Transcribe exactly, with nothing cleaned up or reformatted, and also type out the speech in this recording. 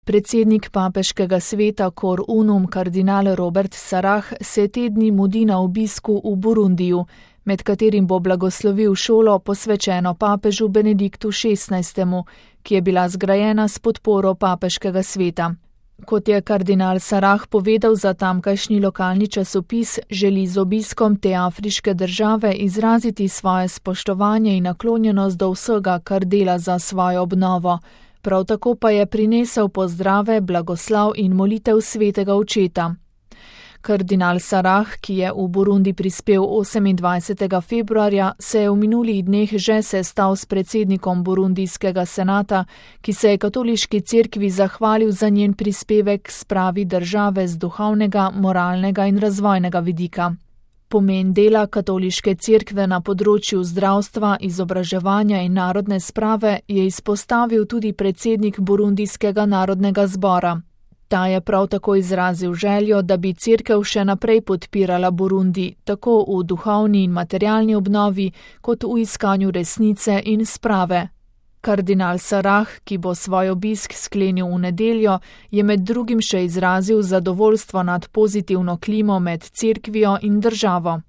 Predsednik papeškega sveta Cor Unum kardinal Robert Sarah se te dni mudi na obisku v Burundiju, med katerim bo blagoslovil šolo posvečeno papežu Benediktu šestnajstemu, ki je bila zgrajena s podporo papeškega sveta. Kot je kardinal Sarah povedal za tamkajšnji lokalni časopis, želi z obiskom te afriške države izraziti svoje spoštovanje in naklonjenost do vsega, kar dela za svojo obnovo. Prav tako pa je prinesel pozdrave, blagoslav in molitev svetega očeta. Kardinal Sarah, ki je v Burundi prispel osemindvajsetega februarja, se je v minulih dneh že sestal s predsednikom burundijskega senata, ki se je katoliški cerkvi zahvalil za njen prispevek k spravi države z duhovnega, moralnega in razvojnega vidika. Pomen dela katoliške cerkve na področju zdravstva, izobraževanja in narodne sprave je izpostavil tudi predsednik burundijskega narodnega zbora. Ta je prav tako izrazil željo, da bi cerkev še naprej podpirala Burundi, tako v duhovni in materialni obnovi, kot v iskanju resnice in sprave. Kardinal Sarah, ki bo svoj obisk sklenil v nedeljo, je med drugim še izrazil zadovoljstvo nad pozitivno klimo med cerkvijo in državo.